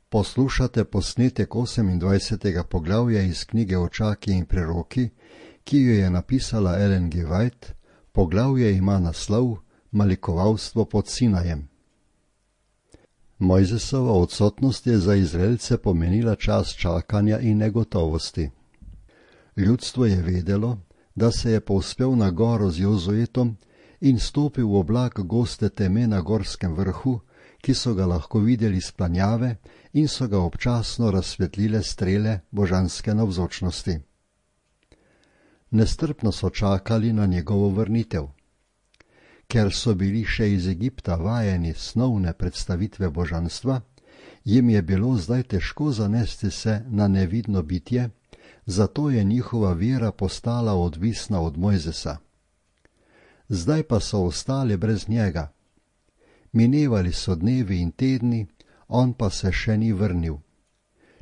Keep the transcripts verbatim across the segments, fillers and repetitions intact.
Poslušate posnetek osemindvajsetega poglavja iz knjige Očaki in preroki, ki jo je napisala Ellen G. White. Poglavje ima naslov Malikovalstvo pod Sinajem. Mojzesova odsotnost je za Izraelce pomenila čas čakanja in negotovosti. Ljudstvo je vedelo, da se je povzpel na goro z Jozuetom in stopil v oblak goste teme na gorskem vrhu, ki so ga lahko videli s planjave in so ga občasno razsvetlile strele božanske navzočnosti. Nestrpno so čakali na njegovo vrnitev. Ker so bili še iz Egipta vajeni snovne predstavitve božanstva, jim je bilo zdaj težko zanesti se na nevidno bitje, zato je njihova vera postala odvisna od Mojzesa. Zdaj pa so ostali brez njega. Minevali so dnevi in tedni, on pa se še ni vrnil.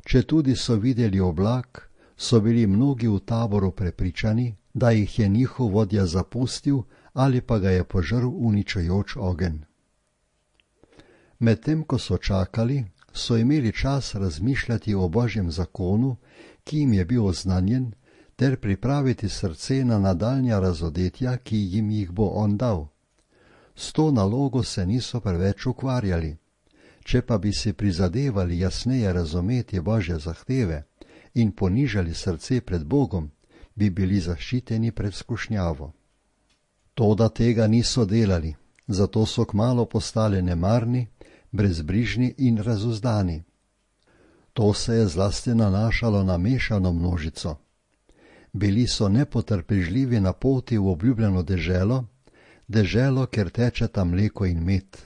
Četudi so videli oblak, so bili mnogi v taboru prepričani, da jih je njihov vodja zapustil ali pa ga je požrl uničujoč ogenj. Medtem ko so čakali, so imeli čas razmišljati o Božjem zakonu, ki jim je bil oznanjen, ter pripraviti srce na nadaljnja razodetja, ki jim jih bo on dal. S to nalogo se niso preveč ukvarjali. Če pa bi si prizadevali jasneje razumeti Božje zahteve in ponižali srce pred Bogom, bi bili zaščiteni pred skušnjavo. Toda tega niso delali, zato so kmalu postali nemarni, brezbrižni in razuzdani. To se je zlasti nanašalo na mešano množico. Bili so nepotrpežljivi na poti v obljubljeno deželo, deželo, kjer tečeta mleko in med.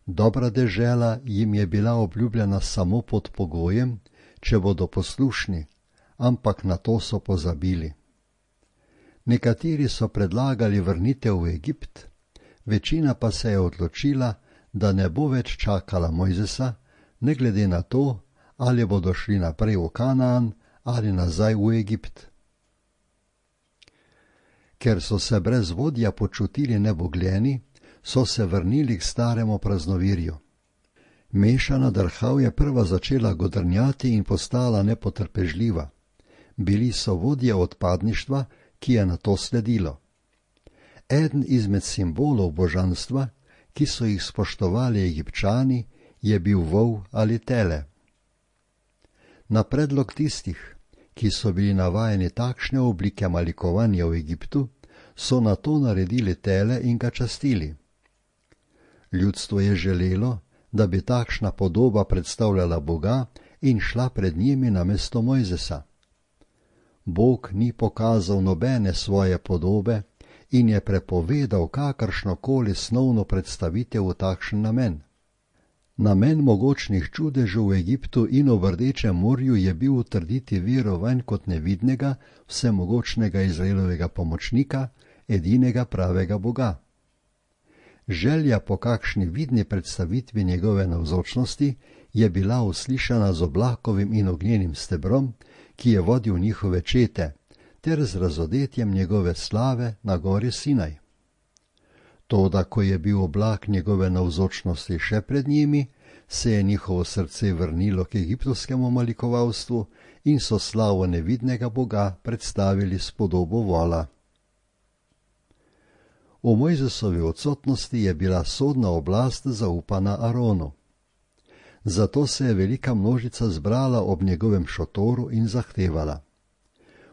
Dobra dežela jim je bila obljubljena samo pod pogojem, če bodo poslušni, ampak na to so pozabili. Nekateri so predlagali vrnitev v Egipt, večina pa se je odločila, da ne bo več čakala Mojzesa, ne glede na to, ali bodo šli naprej v Kanaan ali nazaj v Egipt. Ker so se brez vodja počutili nebogljeni, so se vrnili k staremu praznovirju. Mešana drhav je prva začela godrnjati in postala nepotrpežljiva. Bili so vodje odpadništva, ki je na to sledilo. Eden izmed simbolov božanstva, ki so jih spoštovali Egipčani, je bil vol ali tele. Na predlog tistih, ki so bili navajeni takšne oblike malikovanja v Egiptu, so na to naredili tele in ga častili. Ljudstvo je želelo, da bi takšna podoba predstavljala Boga in šla pred njimi namesto Mojzesa. Bog ni pokazal nobene svoje podobe in je prepovedal kakršnokoli snovno predstavitev v takšen namen. Namen mogočnih čudežev v Egiptu in v Rdečem morju je bil utrditi vero vanj kot nevidnega, vsemogočnega Izraelovega pomočnika, edinega pravega Boga. Želja po kakšni vidni predstavitvi njegove navzočnosti je bila uslišana z oblakovim in ognjenim stebrom, ki je vodil njihove čete, ter z razodetjem njegove slave na gori Sinaj. Toda, ko je bil oblak njegove navzočnosti še pred njimi, se je njihovo srce vrnilo k egiptovskemu malikovalstvu in so slavo nevidnega Boga predstavili s podobo vola. V Mojzesovi odsotnosti je bila sodna oblast zaupana Aronu. Zato se je velika množica zbrala ob njegovem šotoru in zahtevala: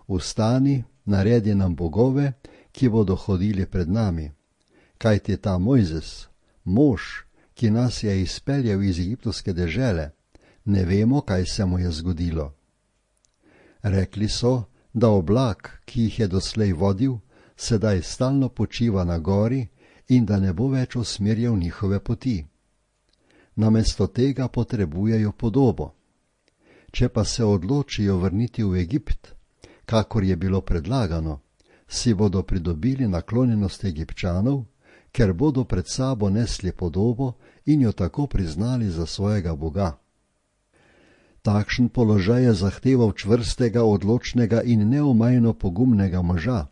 Vstani, naredi nam bogove, ki bodo hodili pred nami. Kajti ta Mojzes, mož, ki nas je izpeljal iz egiptovske dežele, ne vemo, kaj se mu je zgodilo. Rekli so, da oblak, ki jih je doslej vodil, sedaj stalno počiva na gori in da ne bo več usmerjal njihove poti. Namesto tega potrebujejo podobo. Če pa se odločijo vrniti v Egipt, kakor je bilo predlagano, si bodo pridobili naklonjenost Egipčanov, ker bodo pred sabo nesli podobo in jo tako priznali za svojega Boga. Takšen položaj je zahteval čvrstega, odločnega in neomajno pogumnega moža,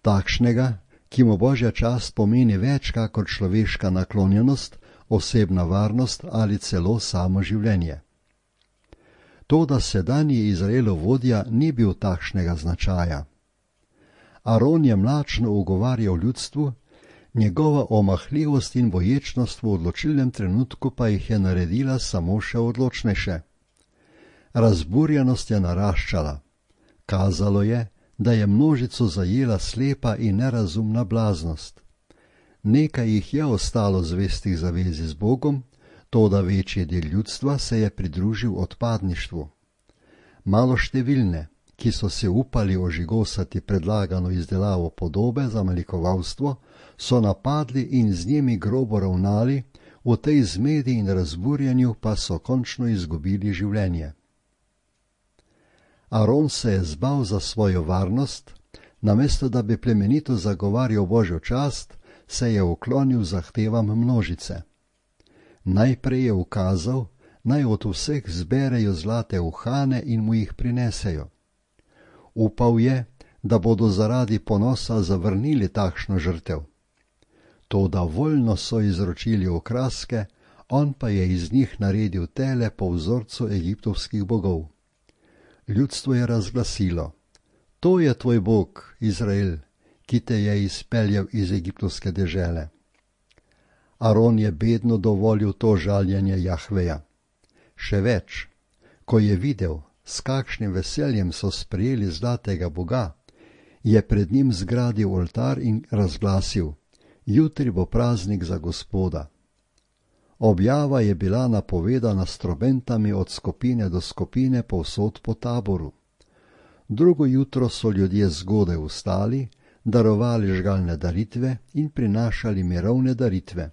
takšnega, ki mu Božja čast pomeni več kakor človeška naklonjenost, osebna varnost ali celo samo življenje. Toda sedanji Izraelov vodja ni bil takšnega značaja. Aron je mlačno ugovarjal ljudstvu, njegova omahljivost in boječnost v odločilnem trenutku pa jih je naredila samo še odločnejše. Razburjenost je naraščala. Kazalo je, da je množico zajela slepa in nerazumna blaznost. Nekaj jih je ostalo zvestih zavezi z Bogom, toda večji del ljudstva se je pridružil odpadništvu. Maloštevilne, ki so se upali ožigosati predlagano izdelavo podobe za malikovalstvo, so napadli in z njimi grobo ravnali, v tej zmedi in razburjenju pa so končno izgubili življenje. Aron se je zbal za svojo varnost, namesto da bi plemenito zagovarjal Božjo čast, se je uklonil zahtevam množice. Najprej je ukazal, naj od vseh zberejo zlate uhane in mu jih prinesejo. Upal je, da bodo zaradi ponosa zavrnili takšno žrtev. Toda voljno so izročili okraske, on pa je iz njih naredil tele po vzorcu egiptovskih bogov. Ljudstvo je razglasilo: to je tvoj Bog, Izrael, ki te je izpeljal iz egiptovske dežele. Aron je bedno dovolil to žaljenje Jahveja. Še več, ko je videl, s kakšnim veseljem so sprejeli zlatega boga, je pred njim zgradil oltar in razglasil: jutri bo praznik za Gospoda. Objava je bila napovedana s trobentami od skupine do skupine povsod po taboru. Drugo jutro so ljudje zgodaj vstali, darovali žgalne daritve in prinašali mirovne daritve.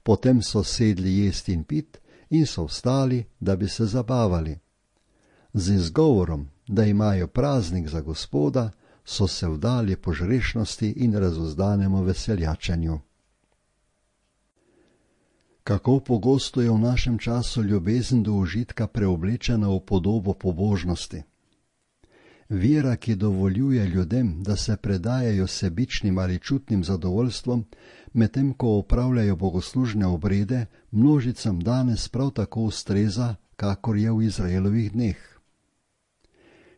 Potem so sedli jesti in pit in so vstali, da bi se zabavali. Z izgovorom, da imajo praznik za Gospoda, so se vdali požrešnosti in razuzdanemu veseljačenju. Kako pogosto je v našem času ljubezen do užitka preoblečena v podobo pobožnosti. Vera, ki dovoljuje ljudem, da se predajajo sebičnim ali čutnim zadovoljstvom, medtem ko opravljajo bogoslužne obrede, množicam danes prav tako ustreza, kakor je v Izraelovih dneh.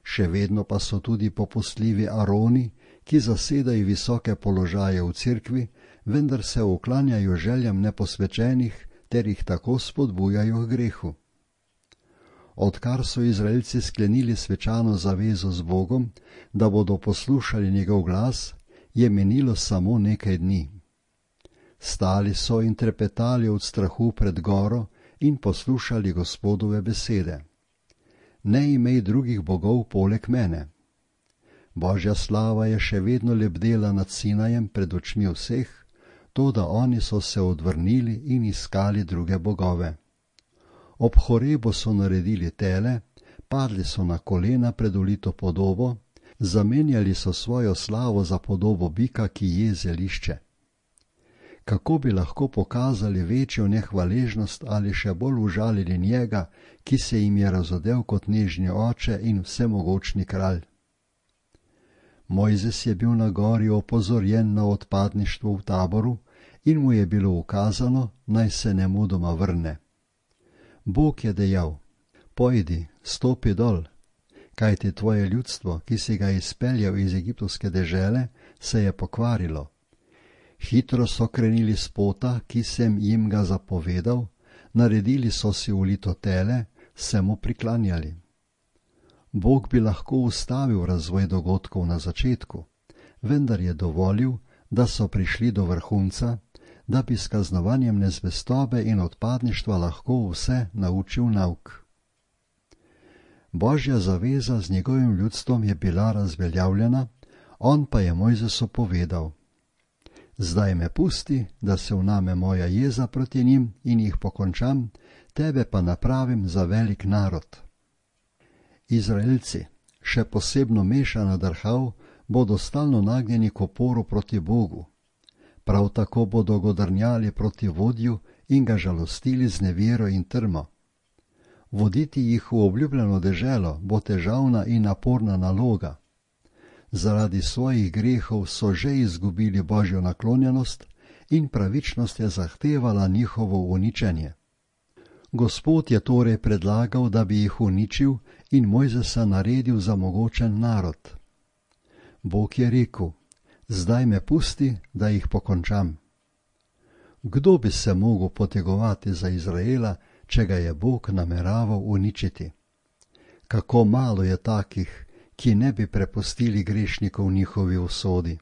Še vedno pa so tudi popustljivi Aroni, ki zasedajo visoke položaje v cerkvi, vendar se uklanjajo željam neposvečenih ter jih tako spodbujajo k grehu. Odkar so Izraelci sklenili svečano zavezo z Bogom, da bodo poslušali njegov glas, je menilo samo nekaj dni. Stali so in trepetali od strahu pred goro in poslušali Gospodove besede. Ne imej drugih bogov poleg mene. Božja slava je še vedno lebdela nad Sinajem pred očmi vseh, toda oni so se odvrnili in iskali druge bogove. Ob Horebu so naredili tele, padli so na kolena pred ulito podobo, zamenjali so svojo slavo za podobo bika, ki je zelišče. Kako bi lahko pokazali večjo nehvaležnost ali še bolj užalili njega, ki se jim je razodel kot nežni oče in vsemogočni kralj? Mojzes je bil na gori opozorjen na odpadništvo v taboru in mu je bilo ukazano, naj se nemudoma vrne. Bog je dejal: pojdi, stopi dol, kajti tvoje ljudstvo, ki si ga izpeljal iz egiptovske dežele, se je pokvarilo. Hitro so krenili s pota, ki sem jim ga zapovedal, naredili so si ulito tele, se mu priklanjali. Bog bi lahko ustavil razvoj dogodkov na začetku, vendar je dovolil, da so prišli do vrhunca, da bi s kaznovanjem nezvestobe in odpadništva lahko vse naučil nauk. Božja zaveza z njegovim ljudstvom je bila razveljavljena, on pa je Mojzesu povedal: zdaj me pusti, da se vname moja jeza proti njim in jih pokončam, tebe pa napravim za velik narod. Izraelci, še posebno Mešana Darhav, bodo stalno nagnjeni k oporu proti Bogu. Prav tako bodo godrnjali proti vodju in ga žalostili z nevero in trmo. Voditi jih v obljubljeno deželo bo težavna in naporna naloga. Zaradi svojih grehov so že izgubili Božjo naklonjenost in pravičnost je zahtevala njihovo uničenje. Gospod je torej predlagal, da bi jih uničil in Mojzesa naredil za mogočen narod. Bog je rekel: zdaj me pusti, da jih pokončam. Kdo bi se mogel potegovati za Izraela, če ga je Bog nameraval uničiti? Kako malo je takih, ki ne bi prepustili grešnikov njihovi usodi.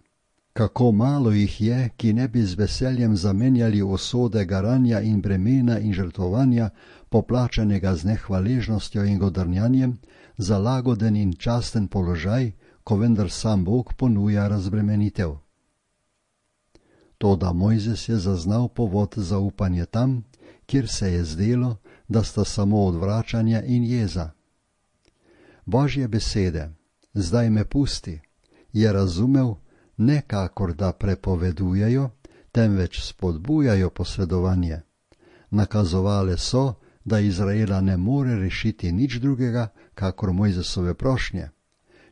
Kako malo jih je, ki ne bi z veseljem zamenjali usode garanja in bremena in žrtvovanja, poplačanega z nehvaležnostjo in godrnjanjem, za lagoden in časten položaj, ko vendar sam Bog ponuja razbremenitev. Toda Mojzes je zaznal povod za upanje tam, kjer se je zdelo, da sta samo odvračanje in jeza. Božje besede, zdaj me pusti, je razumel ne kakor da prepovedujejo, temveč spodbujajo posredovanje. Nakazovale so, da Izraela ne more rešiti nič drugega, kakor Mojzesove prošnje.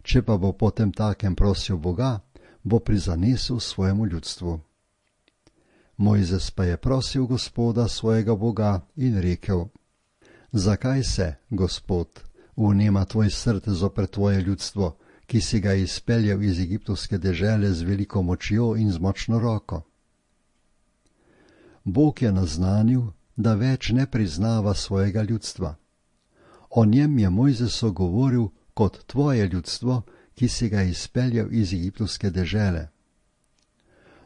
Če pa bo potem takem prosil Boga, bo prizanesel svojemu ljudstvu. Mojzes pa je prosil Gospoda svojega Boga in rekel: zakaj se, Gospod, vnema tvoj srce zoper tvoje ljudstvo, ki si ga izpeljal iz egiptovske dežele z veliko močjo in z močno roko? Bog je naznanil, da več ne priznava svojega ljudstva. O njem je Mojzesu govoril kot tvoje ljudstvo, ki si ga izpeljal iz egiptovske dežele.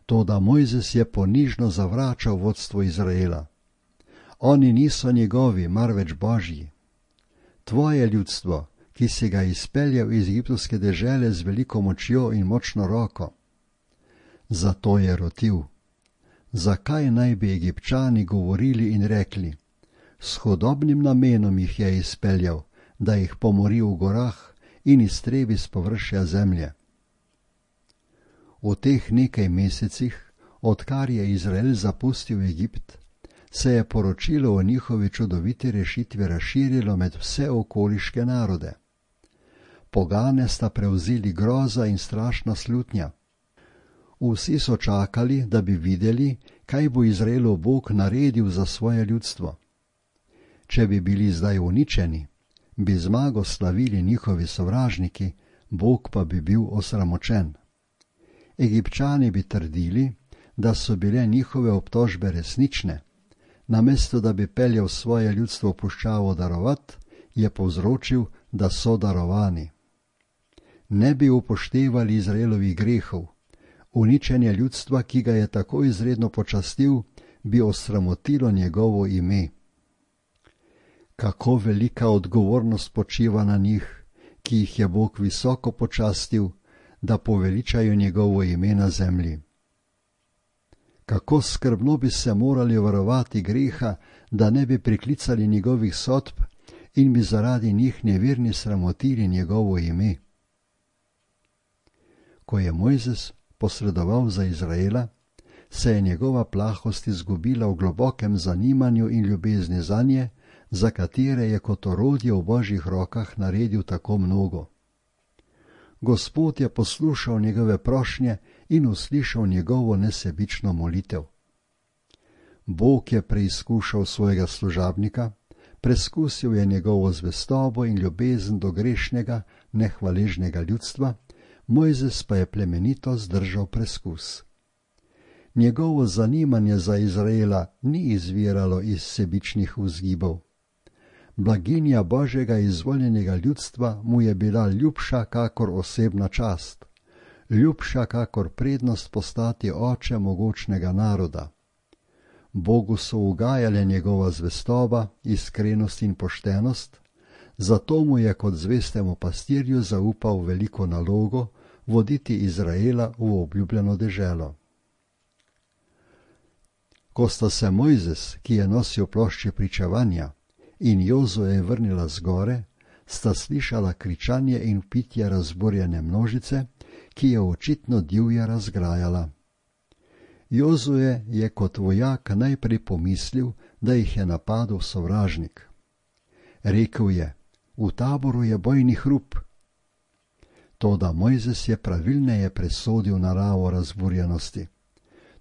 Toda Mojzes je ponižno zavračal vodstvo Izraela. Oni niso njegovi, marveč Božji. Tvoje ljudstvo, ki si ga izpeljal iz egiptovske dežele z veliko močjo in močno roko. Zato je rotil: zakaj naj bi Egipčani govorili in rekli: s hudobnim namenom jih je izpeljal, da jih pomori v gorah in iztrebi s površja zemlje. V teh nekaj mesecih, odkar je Izrael zapustil Egipt, se je poročilo o njihovi čudoviti rešitvi razširilo med vse okoliške narode. Pogane sta prevzeli groza in strašna slutnja. Vsi so čakali, da bi videli, kaj bo Izraelov Bog naredil za svoje ljudstvo. Če bi bili zdaj uničeni, bi zmago slavili njihovi sovražniki, Bog pa bi bil osramočen. Egipčani bi trdili, da so bile njihove obtožbe resnične. Namesto da bi peljal svoje ljudstvo v puščavo darovat, je povzročil, da so darovani. Ne bi upoštevali Izraelovih grehov. Uničenje ljudstva, ki ga je tako izredno počastil, bi osramotilo njegovo ime. Kako velika odgovornost počiva na njih, ki jih je Bog visoko počastil, da poveličajo njegovo ime na zemlji. Kako skrbno bi se morali varovati greha, da ne bi priklicali njegovih sodb in bi zaradi njih neverni sramotili njegovo ime. Ko je Mojzes posredoval za Izraela, se je njegova plahost izgubila v globokem zanimanju in ljubezni zanje, za katere je kot orodje v Božjih rokah naredil tako mnogo. Gospod je poslušal njegove prošnje in uslišal njegovo nesebično molitev. Bog je preizkušal svojega služabnika, preskusil je njegovo zvestobo in ljubezen do grešnega, nehvaležnega ljudstva, Mojzes pa je plemenito zdržal preskus. Njegovo zanimanje za Izraela ni izviralo iz sebičnih vzgibov. Blaginja Božjega izvoljenega ljudstva mu je bila ljubša kakor osebna čast, ljubša kakor prednost postati oče mogočnega naroda. Bogu so ugajale njegova zvestoba, iskrenost in poštenost, zato mu je kot zvestemu pastirju zaupal veliko nalogo voditi Izraela v obljubljeno deželo. Ko sta se Mojzes, ki je nosil plošče pričevanja, in Jozue vrnila z gore, sta slišala kričanje in vpitje razburjene množice, ki je očitno divje razgrajala. Jozue je kot vojak najprej pomislil, da jih je napadel sovražnik. Rekel je: v taboru je bojni hrup. Toda Mojzes je pravilneje presodil naravo razburjenosti.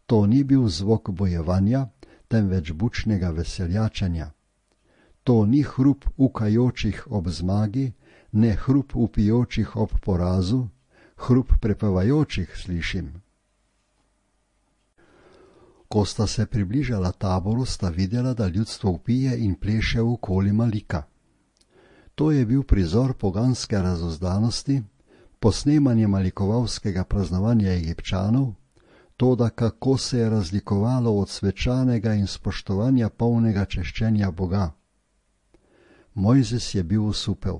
To ni bil zvok bojevanja, temveč bučnega veseljačenja. To ni hrup ukajočih ob zmagi, ne hrup upijočih ob porazu, hrup prepevajočih slišim. Ko sta se približala taboru, sta videla, da ljudstvo vpije in pleše okoli Malika. To je bil prizor poganske razuzdanosti, posnemanje malikovalskega praznovanja Egipčanov, toda kako se je razlikovalo od svečanega in spoštovanja polnega češčenja Boga. Mojzes je bil osupel.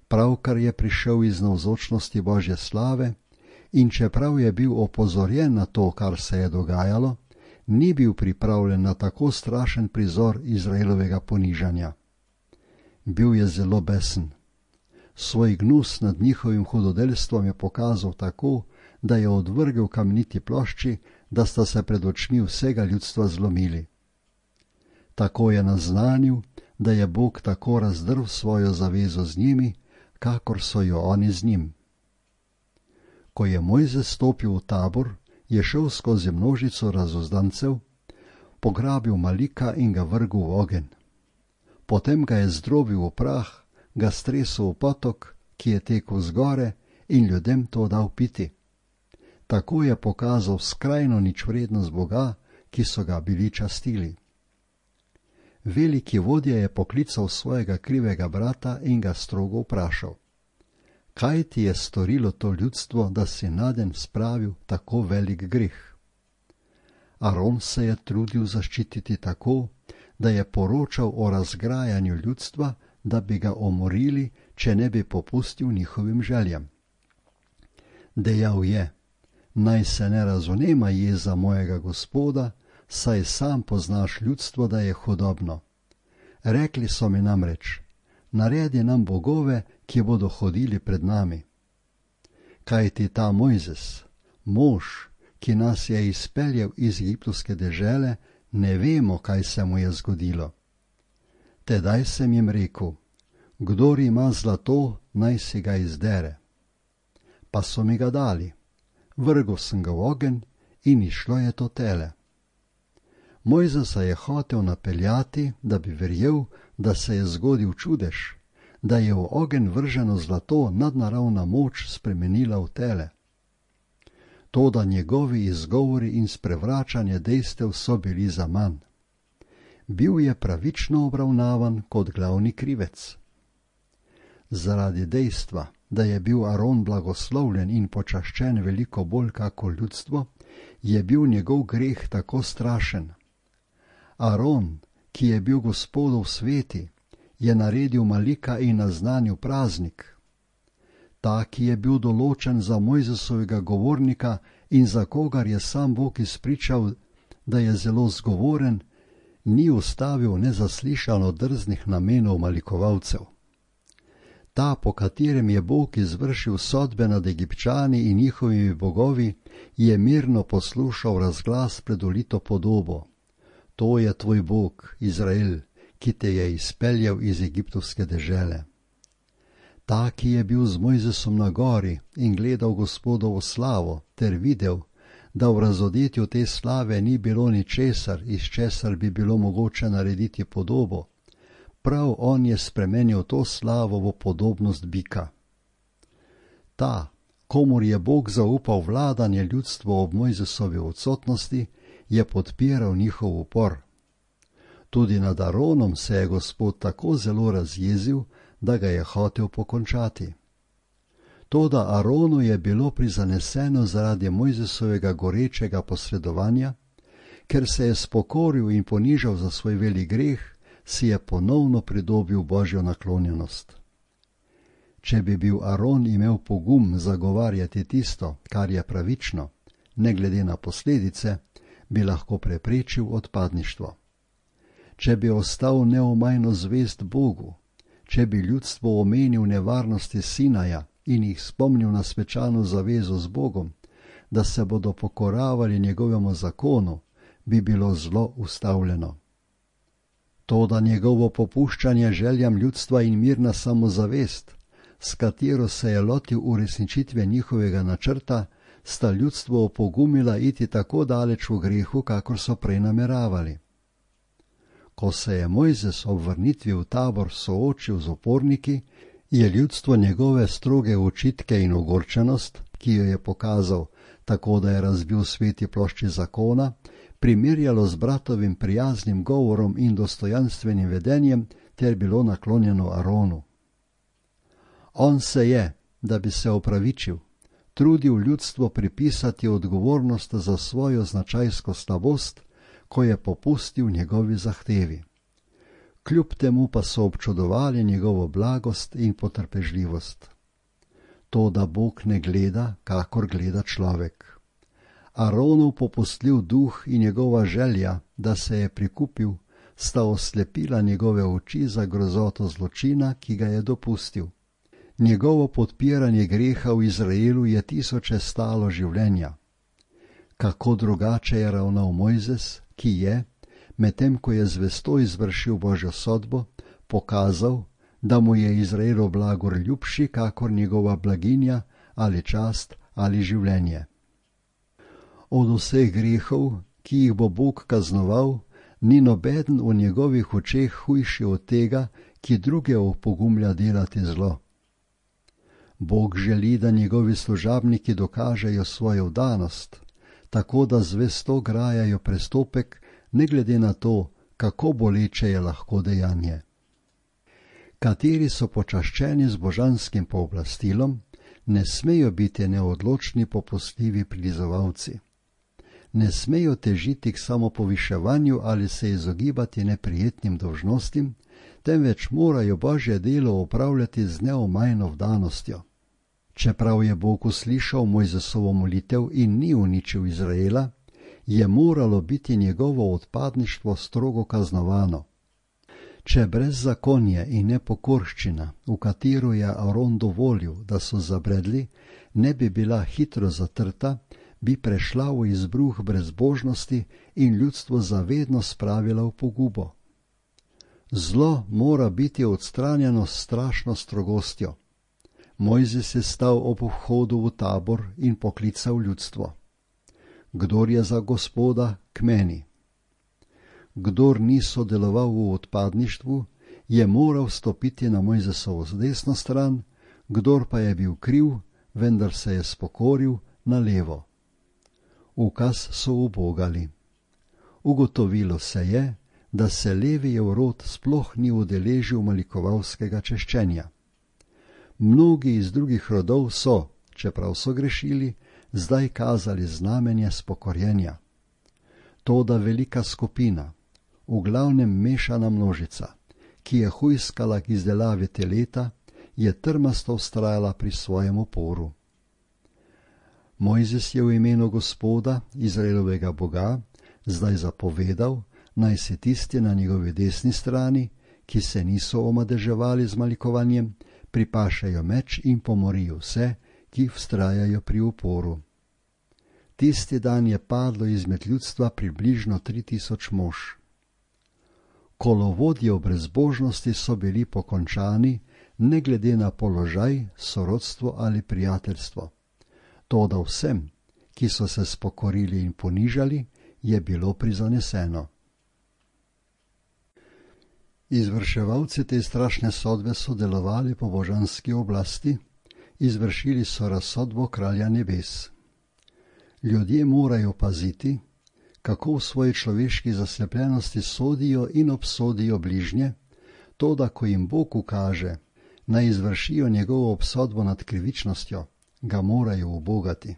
Pravkar je prišel iz navzočnosti Božje slave in čeprav je bil opozorjen na to, kar se je dogajalo, ni bil pripravljen na tako strašen prizor Izraelovega ponižanja. Bil je zelo besen. Svoj gnus nad njihovim hudodelstvom je pokazal tako, da je odvrgel kamniti plošči, da sta se pred očmi vsega ljudstva zlomili. Tako je naznanil, da je Bog tako razdrl svojo zavezo z njimi, kakor so jo oni z njim. Ko je Mojzes stopil v tabor, je šel skozi množico razuzdancev, pograbil Malika in ga vrgel v ogenj. Potem ga je zdrobil v prah, ga stresel v potok, ki je tekel zgore, in ljudem to dal piti. Tako je pokazal skrajno ničvrednost Boga, ki so ga bili častili. Veliki vodja je poklical svojega krivega brata in ga strogo vprašal: kaj ti je storilo to ljudstvo, da si naden spravil tako velik greh? Aron se je trudil zaščititi tako, da je poročal o razgrajanju ljudstva, da bi ga omorili, če ne bi popustil njihovim željam. Dejal je: naj se ne razvnema jeza mojega Gospoda, saj sam poznaš ljudstvo, da je hudobno. Rekli so mi namreč: naredi nam bogove, ki bodo hodili pred nami. Kaj ti ta Mojzes, mož, ki nas je izpeljal iz egiptovske dežele, ne vemo, kaj se mu je zgodilo. Tedaj sem jim rekel: kdor ima zlato, naj si ga izdere. Pa so mi ga dali. Vrgel sem ga v ogenj in išlo je to tele. Mojzesa je hotel napeljati, da bi verjel, da se je zgodil čudež, da je v ogenj vrženo zlato nadnaravna moč spremenila v tele. Toda njegovi izgovori in sprevračanje dejstev so bili zaman. Bil je pravično obravnavan kot glavni krivec. Zaradi dejstva, da je bil Aron blagoslovljen in počaščen veliko bolj kako ljudstvo, je bil njegov greh tako strašen. Aron, ki je bil Gospodov sveti, je naredil Malika in naznanil praznik. Ta, ki je bil določen za Mojzesovega govornika in za kogar je sam Bog izpričal, da je zelo zgovoren, ni ustavil nezaslišano drznih namenov malikovalcev. Ta, po katerem je Bog izvršil sodbe nad Egipčani in njihovimi bogovi, je mirno poslušal razglas pred ulito podobo: to je tvoj Bog, Izrael, ki te je izpeljal iz egiptovske dežele. Ta, ki je bil z Mojzesom na gori in gledal Gospodovo slavo, ter videl, da v razodetju te slave ni bilo ničesar, iz česar bi bilo mogoče narediti podobo, prav on je spremenil to slavo v podobnost bika. Ta, komur je Bog zaupal vladanje ljudstvo ob Mojzesovi odsotnosti, je podpiral njihov upor. Tudi nad Aronom se je Gospod tako zelo razjezil, da ga je hotel pokončati. Toda Aronu je bilo prizaneseno zaradi Mojzesovega gorečega posredovanja, ker se je spokoril in ponižal za svoj velik greh, si je ponovno pridobil Božjo naklonjenost. Če bi bil Aron imel pogum zagovarjati tisto, kar je pravično, ne glede na posledice, bi lahko preprečil odpadništvo. Če bi ostal neomajno zvest Bogu, če bi ljudstvo omenil nevarnosti Sinaja in jih spomnil na svečano zavezo z Bogom, da se bodo pokoravali njegovemu zakonu, bi bilo zlo ustavljeno. Toda njegovo popuščanje željam ljudstva in mirna samozavest, s katero se je lotil uresničitve njihovega načrta, sta ljudstvo opogumila iti tako daleč v grehu, kakor so prej nameravali. Ko se je Mojzes ob vrnitvi v tabor soočil z uporniki, je ljudstvo njegove stroge očitke in ogorčenost, ki jo je pokazal tako, da je razbil sveti plošči zakona, primerjalo z bratovim prijaznim govorom in dostojanstvenim vedenjem ter bilo naklonjeno Aronu. On se je, da bi se opravičil, trudil ljudstvo pripisati odgovornost za svojo značajsko slabost, ko je popustil njegovi zahtevi. Kljub temu pa so občudovali njegovo blagost in potrpežljivost. To, da Bog ne gleda, kakor gleda človek. Aronov popustljiv duh in njegova želja, da se je prikupil, sta oslepila njegove oči za grozoto zločina, ki ga je dopustil. Njegovo podpiranje greha v Izraelu je tisoče stalo življenja. Kako drugače je ravnal Mojzes, ki je, medtem ko je zvesto izvršil Božjo sodbo, pokazal, da mu je Izraelu blagor ljubši, kakor njegova blaginja ali čast ali življenje. Od vseh grehov, ki jih bo Bog kaznoval, ni nobeden v njegovih očeh hujši od tega, ki druge opogumlja delati zlo. Bog želi, da njegovi služabniki dokažejo svojo vdanost, tako da zvesto grajajo prestopek, ne glede na to, kako boleče je lahko dejanje. Kateri so počaščeni z božanskim pooblastilom, ne smejo biti neodločni popustljivi prilizovalci. Ne smejo težiti k samopoviševanju ali se izogibati neprijetnim dolžnostim, temveč morajo Božje delo opravljati z neomajno vdanostjo. Čeprav je Bog uslišal Mojzesovo molitev in ni uničil Izraela, je moralo biti njegovo odpadništvo strogo kaznovano. Če brezzakonje in nepokorščina, v katero je Aron dovolil, da so zabredli, ne bi bila hitro zatrta, bi prešla v izbruh brezbožnosti in ljudstvo zavedno spravila v pogubo. Zlo mora biti odstranjeno s strašno strogostjo. Mojzes je stal ob vhodu v tabor in poklical ljudstvo. Kdor je za Gospoda, k meni. Kdor ni sodeloval v odpadništvu, je moral stopiti na Mojzesovo desno stran, kdor pa je bil kriv, vendar se je spokoril, na levo. Ukaz so ubogali. Ugotovilo se je, da se Levijev rod sploh ni udeležil malikovalskega češčenja. Mnogi iz drugih rodov so, čeprav so grešili, zdaj kazali znamenje spokorjenja. Toda velika skupina, v glavnem mešana množica, ki je hujskala k izdelavi teleta, je trmasto vztrajala pri svojem oporu. Mojzes je v imenu Gospoda, Izraelovega Boga, zdaj zapovedal, naj se tisti na njegovi desni strani, ki se niso omadeževali z malikovanjem, pripašajo meč in pomorijo vse, ki vztrajajo pri uporu. Tisti dan je padlo izmed ljudstva približno tri tisoč mož. Kolovodje v brezbožnosti so bili pokončani, ne glede na položaj, sorodstvo ali prijateljstvo. Toda vsem, ki so se spokorili in ponižali, je bilo prizaneseno. Izvrševalci te strašne sodbe so delovali po božanski oblasti, izvršili so razsodbo kralja nebes. Ljudje morajo paziti, kako v svoji človeški zaslepljenosti sodijo in obsodijo bližnje, toda ko jim Bog ukaže, naj izvršijo njegovo obsodbo nad krivičnostjo, ga morajo ubogati.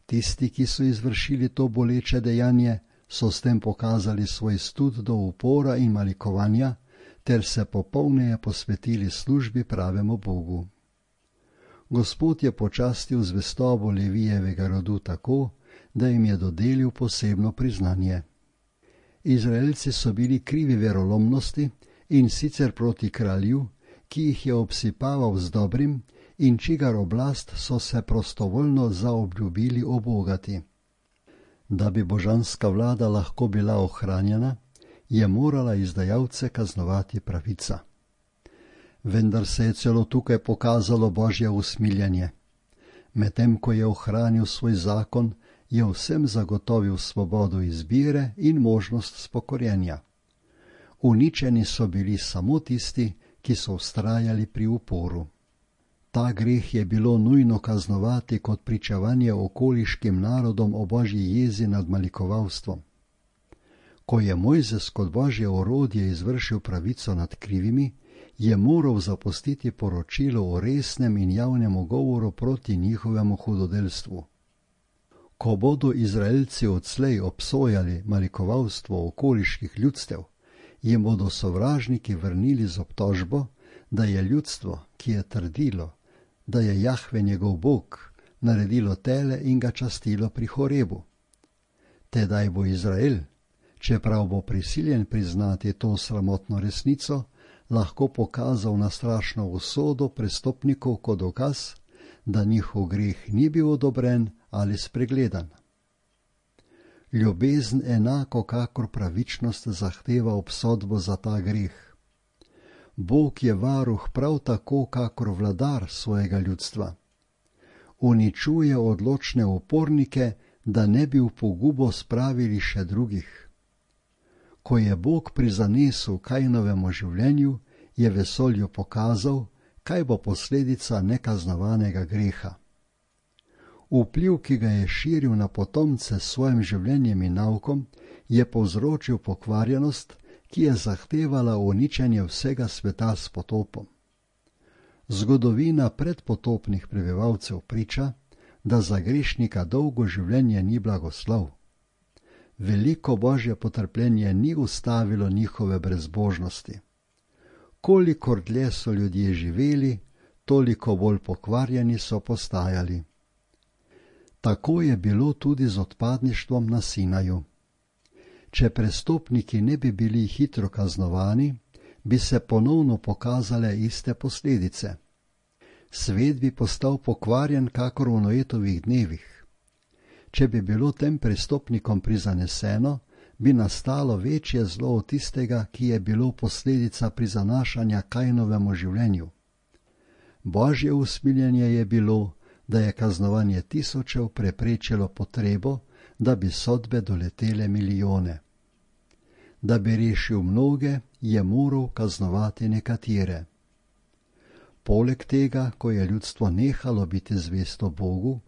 Tisti, ki so izvršili to boleče dejanje, so s tem pokazali svoj stud do upora in malikovanja, ter se popolneje posvetili službi pravemu Bogu. Gospod je počastil zvestobo Levijevega rodu tako, da jim je dodelil posebno priznanje. Izraelci so bili krivi verolomnosti in sicer proti kralju, ki jih je obsipaval z dobrim in čigar oblast so se prostovoljno zaobljubili obogati. Da bi božanska vlada lahko bila ohranjena, je morala izdajalce kaznovati pravica. Vendar se je celo tukaj pokazalo Božje usmiljenje. Medtem ko je ohranil svoj zakon, je vsem zagotovil svobodo izbire in možnost spokorjenja. Uničeni so bili samo tisti, ki so vztrajali pri uporu. Ta greh je bilo nujno kaznovati kot pričevanje okoliškim narodom o Božji jezi nad malikovalstvom. Ko je Mojzes kot Božje orodje izvršil pravico nad krivimi, je moral zapustiti poročilo o resnem in javnem govoru proti njihovemu hudodelstvu. Ko bodo Izraelci odslej obsojali malikovalstvo okoliških ljudstev, jim bodo sovražniki vrnili z obtožbo, da je ljudstvo, ki je trdilo, da je Jahve njegov Bog, naredilo tele in ga častilo pri Horebu. Tedaj bo Izrael, čeprav bo prisiljen priznati to sramotno resnico, lahko pokazal na strašno usodo prestopnikov kot dokaz, da njihov greh ni bil odobren ali spregledan. Ljubezen enako kakor pravičnost zahteva obsodbo za ta greh. Bog je varuh prav tako kakor vladar svojega ljudstva. Uničuje odločne upornike, da ne bi v pogubo spravili še drugih. Ko je Bog prizanesel Kainovemu življenju, je vesolju pokazal, kaj bo posledica nekaznovanega greha. Vpliv, ki ga je širil na potomce s svojim življenjem in naukom, je povzročil pokvarjenost, ki je zahtevala uničenje vsega sveta s potopom. Zgodovina predpotopnih prebivalcev priča, da za grešnika dolgo življenje ni blagoslov. Veliko Božje potrpljenje ni ustavilo njihove brezbožnosti. Kolikor dlje so ljudje živeli, toliko bolj pokvarjeni so postajali. Tako je bilo tudi z odpadništvom na Sinaju. Če prestopniki ne bi bili hitro kaznovani, bi se ponovno pokazale iste posledice. Svet bi postal pokvarjen kakor v Noetovih dnevih. Če bi bilo tem prestopnikom prizaneseno, bi nastalo večje zlo od tistega, ki je bilo posledica prizanašanja Kainovemu življenju. Božje usmiljenje je bilo, da je kaznovanje tisočev preprečilo potrebo, da bi sodbe doletele milijone. Da bi rešil mnoge, je moral kaznovati nekatere. Poleg tega, ko je ljudstvo nehalo biti zvesto Bogu,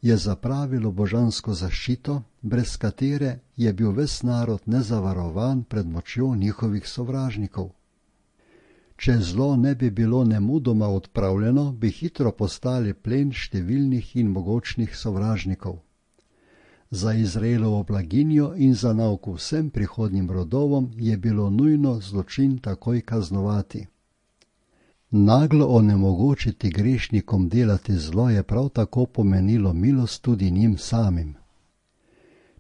je zapravilo božansko zaščito, brez katere je bil ves narod nezavarovan pred močjo njihovih sovražnikov. Če zlo ne bi bilo nemudoma odpravljeno, bi hitro postali plen številnih in mogočnih sovražnikov. Za Izraelovo blaginjo in za nauk vsem prihodnjim rodovom je bilo nujno zločin takoj kaznovati. Naglo onemogočiti grešnikom delati zlo je prav tako pomenilo milost tudi njim samim.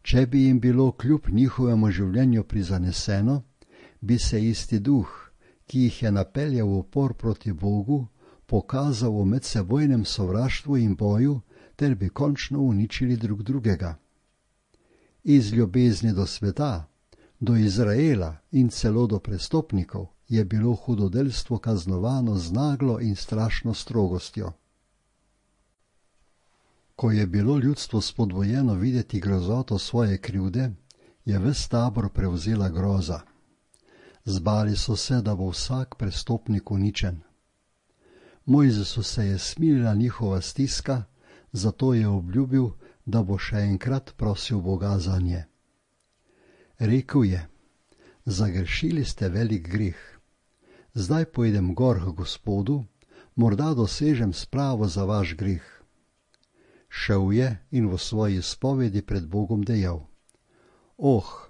Če bi jim bilo kljub njihovemu življenju prizaneseno, bi se isti duh, ki jih je napeljal v upor proti Bogu, pokazal v medsebojnem sovraštvu in boju, ter bi končno uničili drug drugega. Iz ljubezni do sveta, do Izraela in celo do prestopnikov je bilo hudodelstvo kaznovano z naglo in strašno strogostjo. Ko je bilo ljudstvo spodbujeno videti grozoto svoje krivde, je ves tabor prevzela groza. Zbali so se, da bo vsak prestopnik uničen. Mojzesu se je smilila njihova stiska, zato je obljubil, da bo še enkrat prosil Boga za nje. Rekel je: zagrešili ste velik greh. Zdaj pojdem gor k Gospodu, morda dosežem spravo za vaš greh. Šel je in v svoji spovedi pred Bogom dejal: Oh,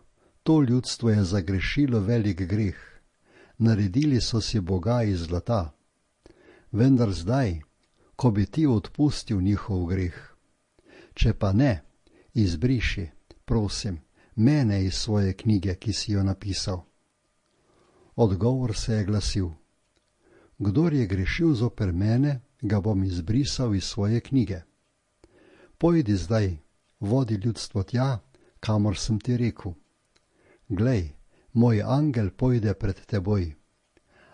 to ljudstvo je zagrešilo velik greh, naredili so si boga iz zlata. Vendar zdaj, ko bi ti odpustil njihov greh. Če pa ne, izbriši, prosim, mene iz svoje knjige, ki si jo napisal. Odgovor se je glasil: kdor je grešil zoper mene, ga bom izbrisal iz svoje knjige. Pojdi zdaj, vodi ljudstvo tja, kamor sem ti rekel. Glej, moj angel pojde pred teboj,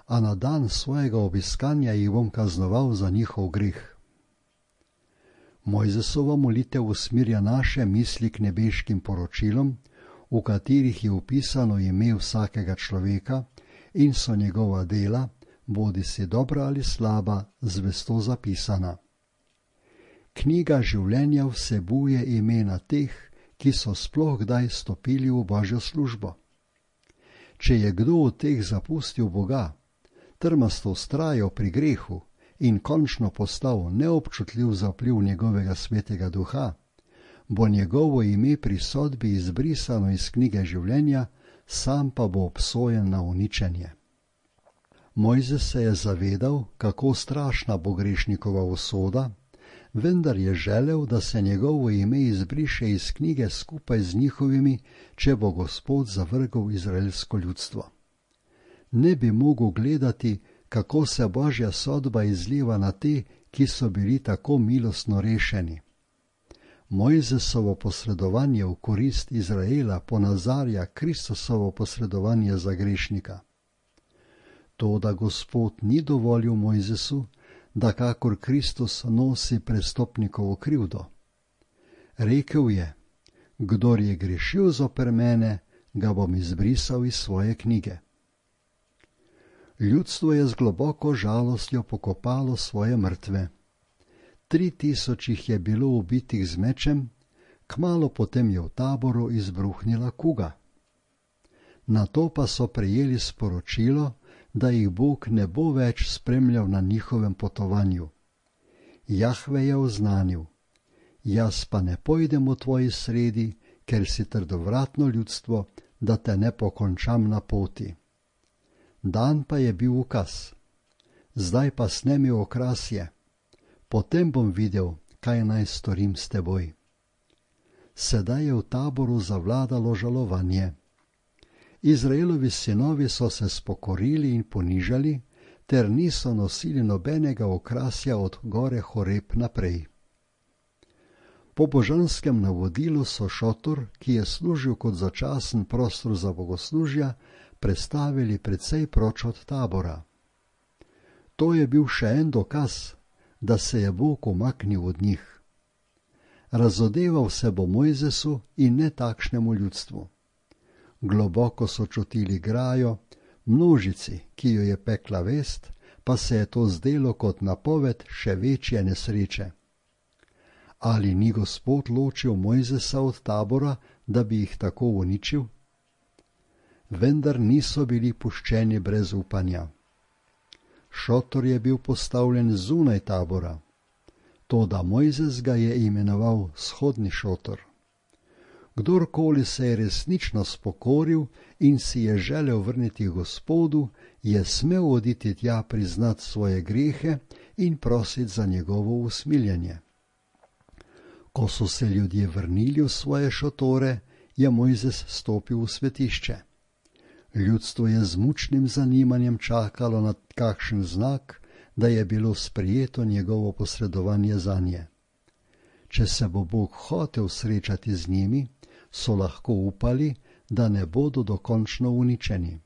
a na dan svojega obiskanja jih bom kaznoval za njihov greh. Mojzesova molitev usmirja naše misli k nebeškim poročilom, v katerih je upisano ime vsakega človeka in so njegova dela, bodi si dobra ali slaba, zvesto zapisana. Knjiga življenja vsebuje imena teh, ki so sploh kdaj stopili v Božjo službo. Če je kdo od teh zapustil Boga, trmasto vztrajal pri grehu in končno postal neobčutljiv za vpliv njegovega svetega duha, bo njegovo ime pri sodbi izbrisano iz knjige življenja, sam pa bo obsojen na uničenje. Mojzes se je zavedal, kako strašna bo grešnikova usoda, vendar je želel, da se njegovo ime izbriše iz knjige skupaj z njihovimi, če bo Gospod zavrgel izraelsko ljudstvo. Ne bi mogel gledati, kako se Božja sodba izliva na te, ki so bili tako milostno rešeni. Mojzesovo posredovanje v korist Izraela ponazarja Kristusovo posredovanje za grešnika. To, da Gospod ni dovolil Mojzesu, da kakor Kristus nosi prestopnikovo krivdo. Rekel je, kdor je grešil zoper mene, ga bom izbrisal iz svoje knjige. Ljudstvo je z globoko žalostjo pokopalo svoje mrtve. Tri tisoč jih je bilo ubitih z mečem, kmalu potem je v taboru izbruhnila kuga. Nato pa so prejeli sporočilo, da jih Bog ne bo več spremljal na njihovem potovanju. Jahve je oznanil, jaz pa ne pojdem v tvoji sredi, ker si trdovratno ljudstvo, da te ne pokončam na poti. Dan pa je bil ukaz, zdaj pa snemi okrasje, potem bom videl, kaj naj storim s teboj. Sedaj je v taboru zavladalo žalovanje. Izraelovi sinovi so se spokorili in ponižali, ter niso nosili nobenega okrasja od gore Horeb naprej. Po božanskem navodilu so šotor, ki je služil kot začasen prostor za bogoslužja, prestavili precej proč od tabora. To je bil še en dokaz, da se je Bog umaknil od njih. Razodeval se bo Mojzesu in ne takšnemu ljudstvu. Globoko so čutili grajo, množici, ki jo je pekla vest, pa se je to zdelo kot napoved še večje nesreče. Ali ni Gospod ločil Mojzesa od tabora, da bi jih tako uničil? Vendar niso bili puščeni brez upanja. Šotor je bil postavljen zunaj tabora, toda Mojzes ga je imenoval vzhodni šotor. Kdorkoli se je resnično spokoril in si je želel vrniti Gospodu, je smel oditi tja priznati svoje grehe in prositi za njegovo usmiljenje. Ko so se ljudje vrnili v svoje šotore, je Mojzes stopil v svetišče. Ljudstvo je z mučnim zanimanjem čakalo na kakšen znak, da je bilo sprejeto njegovo posredovanje zanje. Če se bo Bog hotel srečati z njimi, so lahko upali, da ne bodo dokončno uničeni.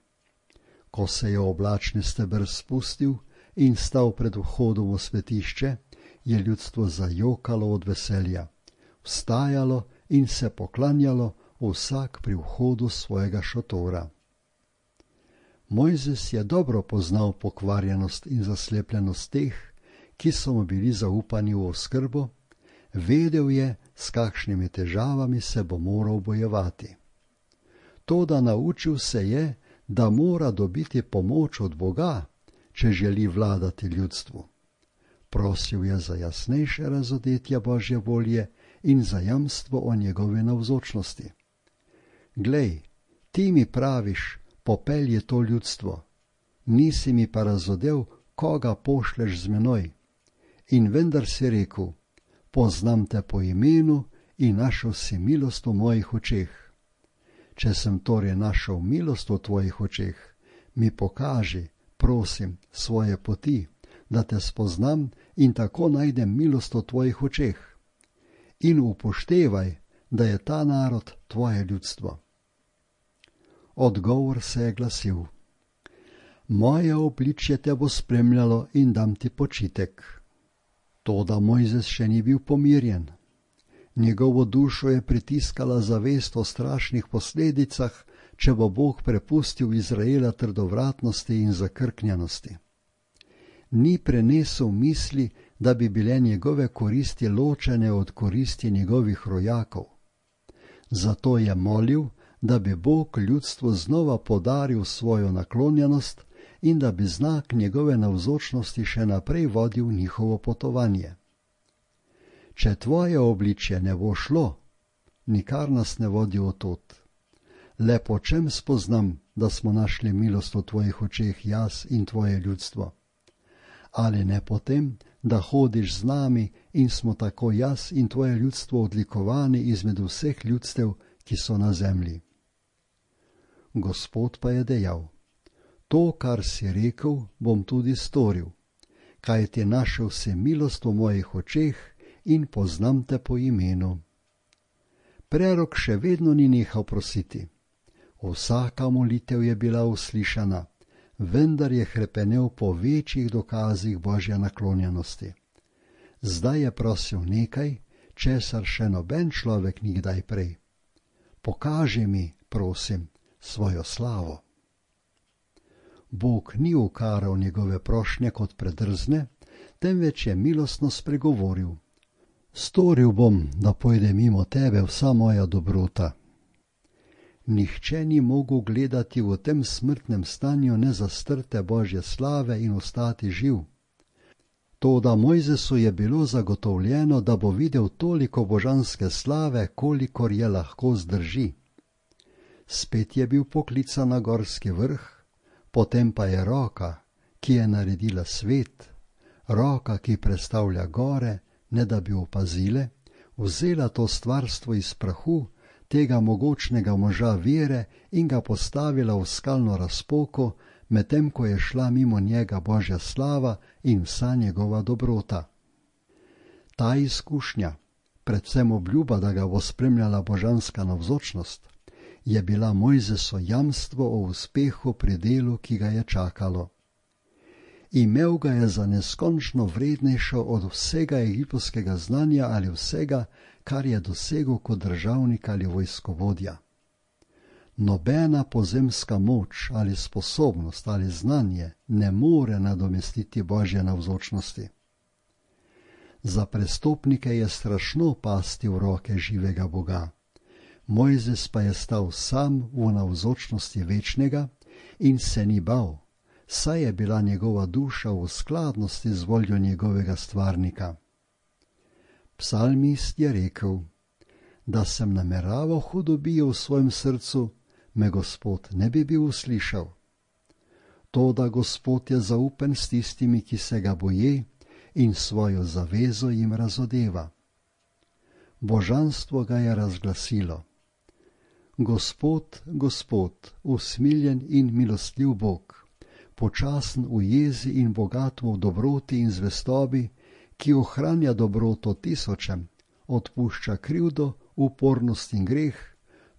Ko se je oblačni steber spustil in stal pred vhodom v svetišče, je ljudstvo zajokalo od veselja, vstajalo in se poklanjalo vsak pri vhodu svojega šotora. Mojzes je dobro poznal pokvarjenost in zaslepljenost teh, ki so mu bili zaupani v oskrbo, vedel je, s kakšnimi težavami se bo moral bojevati. Toda naučil se je, da mora dobiti pomoč od Boga, če želi vladati ljudstvu. Prosil je za jasnejše razodetje Božje volje in za jamstvo o njegovi navzočnosti. Glej, ti mi praviš, popelji to ljudstvo, nisi mi pa razodel, koga pošleš z menoj. In vendar si rekel, poznam te po imenu in našel si milost v mojih očeh. Če sem torej našel milost v tvojih očeh, mi pokaži, prosim, svoje poti, da te spoznam in tako najdem milost v tvojih očeh. In upoštevaj, da je ta narod tvoje ljudstvo. Odgovor se je glasil, moje obličje te bo spremljalo in dam ti počitek. Toda Mojzes še ni bil pomirjen. Njegovo dušo je pritiskala zavest o strašnih posledicah, če bo Bog prepustil Izraela trdovratnosti in zakrknjenosti. Ni prenesel misli, da bi bile njegove koristi ločene od koristi njegovih rojakov. Zato je molil, da bi Bog ljudstvu znova podaril svojo naklonjenost in da bi znak njegove navzočnosti še naprej vodil njihovo potovanje. Če tvoje obličje ne bo šlo, nikar nas ne vodi od tod. Le po čem spoznam, da smo našli milost v tvojih očeh jaz in tvoje ljudstvo? Ali ne potem, da hodiš z nami in smo tako jaz in tvoje ljudstvo odlikovani izmed vseh ljudstev, ki so na zemlji? Gospod pa je dejal: To, kar si rekel, bom tudi storil, kajti našel si milost v mojih očeh in poznam te po imenu. Prerok še vedno ni nehal prositi. Vsaka molitev je bila uslišana, vendar je hrepenel po večjih dokazih Božje naklonjenosti. Zdaj je prosil nekaj, česar še noben človek ni kdaj prej. Pokaži mi, prosim, svojo slavo. Bog ni ukaral njegove prošnje kot predrzne, temveč je milostno spregovoril: Storil bom, da pojde mimo tebe vsa moja dobrota. Nihče ni mogel gledati v tem smrtnem stanju nezastrte Božje slave in ostati živ. Toda Mojzesu je bilo zagotovljeno, da bo videl toliko božanske slave, kolikor je lahko zdrži. Spet je bil poklican na gorski vrh, potem pa je roka, ki je naredila svet, roka, ki predstavlja gore, ne da bi opazile, vzela to stvarstvo iz prahu, tega mogočnega moža vere, in ga postavila v skalno razpoko, medtem ko je šla mimo njega Božja slava in vsa njegova dobrota. Ta izkušnja, predvsem obljuba, da ga bo spremljala božanska navzočnost, je bila Mojzeso jamstvo o uspehu pri delu, ki ga je čakalo. Imel ga je za neskončno vrednejšo od vsega egiptovskega znanja ali vsega, kar je dosegel kot državnik ali vojskovodja. Nobena pozemska moč ali sposobnost ali znanje ne more nadomestiti Božje navzočnosti. Za prestopnike je strašno pasti v roke živega Boga. Mojzes pa je stal sam v navzočnosti večnega in se ni bal, saj je bila njegova duša v skladnosti z voljo njegovega stvarnika. Psalmist je rekel: Da sem nameraval hudobijo v svojem srcu, me Gospod ne bi bil uslišal. Toda Gospod je zaupen s tistimi, ki se ga boje, in svojo zavezo jim razodeva. Božanstvo ga je razglasilo: Gospod, Gospod, usmiljen in milostljiv Bog, počasen v jezi in bogat v dobroti in zvestobi, ki ohranja dobroto tisočem, odpušča krivdo, upornost in greh,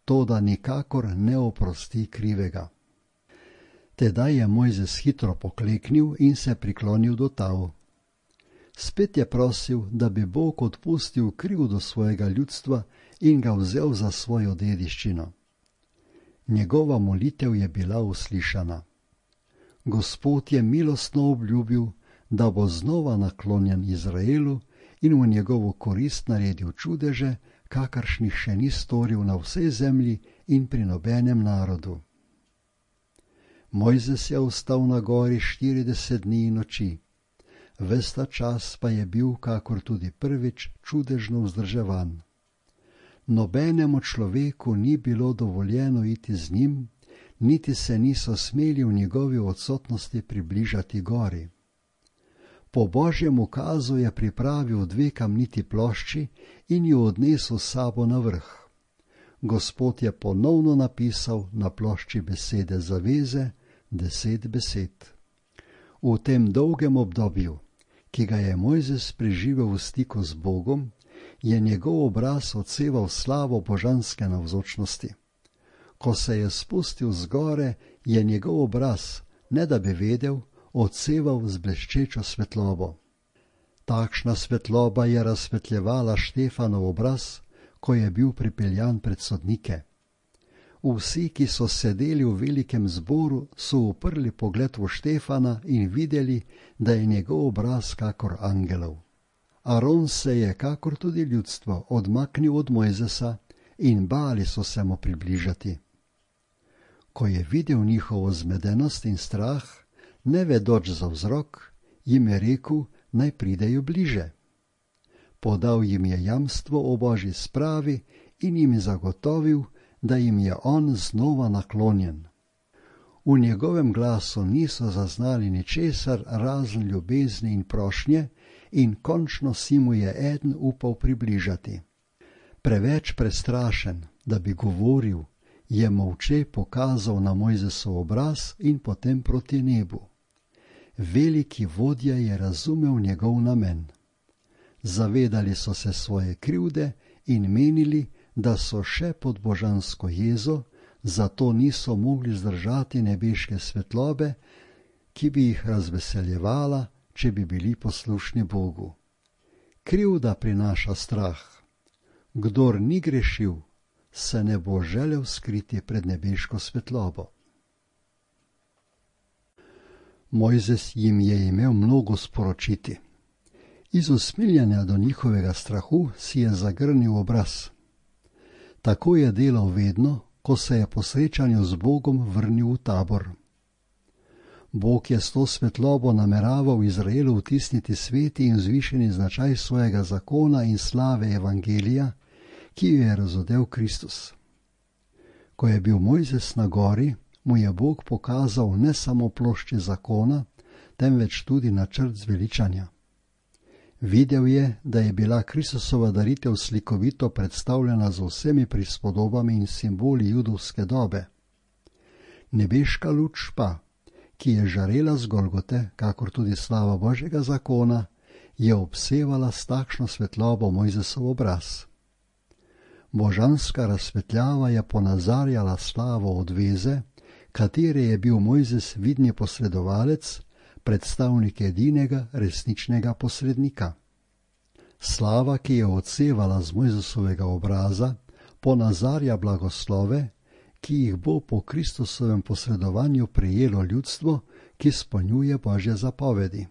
toda nikakor ne oprosti krivega. Tedaj je Mojzes hitro pokleknil in se priklonil do tal. Spet je prosil, da bi Bog odpustil krivdo svojega ljudstva in ga vzel za svojo dediščino. Njegova molitev je bila uslišana. Gospod je milostno obljubil, da bo znova naklonjen Izraelu in v njegovo korist naredil čudeže, kakršnih še ni storil na vsej zemlji in pri nobenem narodu. Mojzes je ostal na gori štirideset dni in noči. Ves ta čas pa je bil, kakor tudi prvič, čudežno vzdrževan. Nobenemu človeku ni bilo dovoljeno iti z njim, niti se niso smeli v njegovi odsotnosti približati gori. Po Božjem ukazu je pripravil dve kamniti plošči in jo odnesel s sabo na vrh. Gospod je ponovno napisal na plošči besede zaveze, deset besed. V tem dolgem obdobju, ki ga je Mojzes preživel v stiku z Bogom, je njegov obraz odseval slavo božanske navzočnosti. Ko se je spustil z gore, je njegov obraz, ne da bi vedel, odseval z bleščečo svetlobo. Takšna svetloba je razsvetljevala Štefanov obraz, ko je bil pripeljan pred sodnike. Vsi, ki so sedeli v velikem zboru, so uprli pogled v Štefana in videli, da je njegov obraz kakor angelov. Aron se je, kakor tudi ljudstvo, odmaknil od Mojzesa in bali so se mu približati. Ko je videl njihovo zmedenost in strah, ne vedoč za vzrok, jim je rekel, naj pridejo bliže. Podal jim je jamstvo o Božji spravi in jim zagotovil, da jim je on znova naklonjen. V njegovem glasu niso zaznali ničesar razen ljubezni in prošnje in končno si mu je eden upal približati. Preveč prestrašen, da bi govoril, je molče pokazal na Mojzesov obraz in potem proti nebu. Veliki vodja je razumel njegov namen. Zavedali so se svoje krivde in menili, da so še pod božansko jezo, zato niso mogli zdržati nebeške svetlobe, ki bi jih razveseljevala, če bi bili poslušni Bogu. Krivda prinaša strah. Kdor ni grešil, se ne bo želel skriti pred nebeško svetlobo. Mojzes jim je imel mnogo sporočiti. Iz usmiljanja do njihovega strahu si je zagrnil obraz. Tako je delal vedno, ko se je po srečanju z Bogom vrnil v tabor. Bog je s to svetlobo nameraval Izraelu vtisniti sveti in vzvišeni značaj svojega zakona in slave evangelija, ki jo je razodel Kristus. Ko je bil Mojzes na gori, mu je Bog pokazal ne samo plošče zakona, temveč tudi načrt zveličanja. Videl je, da je bila Kristusova daritev slikovito predstavljena z vsemi prispodobami in simboli judovske dobe. Nebeška luč pa, ki je žarela z Golgote, kakor tudi slava Božjega zakona, je obsevala s takšno svetlobo Mojzesov obraz. Božanska razsvetljava je ponazarjala slavo odveze, katere je bil Mojzes vidni posredovalec, predstavnik edinega resničnega posrednika. Slava, ki je odsevala z Mojzesovega obraza, ponazarja blagoslove, ki jih bo po Kristusovem posredovanju prejelo ljudstvo, ki izpolnjuje Božje zapovedi.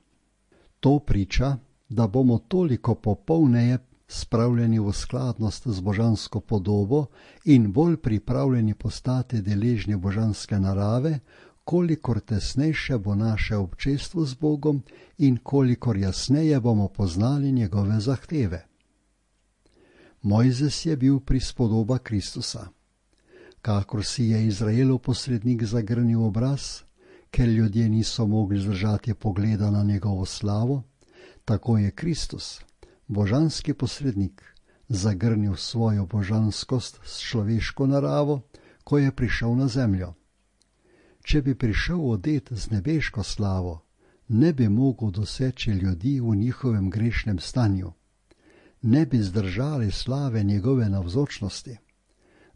To priča, da bomo toliko popolneje spravljeni v skladnost z božansko podobo in bolj pripravljeni postati deležni božanske narave, kolikor tesnejše bo naše občestvo z Bogom in kolikor jasneje bomo poznali njegove zahteve. Mojzes je bil prispodoba Kristusa. Kakor si je Izraelov posrednik zagrnil obraz, ker ljudje niso mogli zdržati pogleda na njegovo slavo, tako je Kristus, božanski posrednik, zagrnil svojo božanskost s človeško naravo, ko je prišel na zemljo. Če bi prišel odet z nebeško slavo, ne bi mogel doseči ljudi v njihovem grešnem stanju. Ne bi zdržali slave njegove navzočnosti.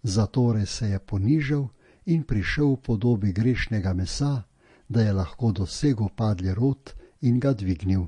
Zatorej se je ponižal in prišel v podobi grešnega mesa, da je lahko dosegel padli rod in ga dvignil.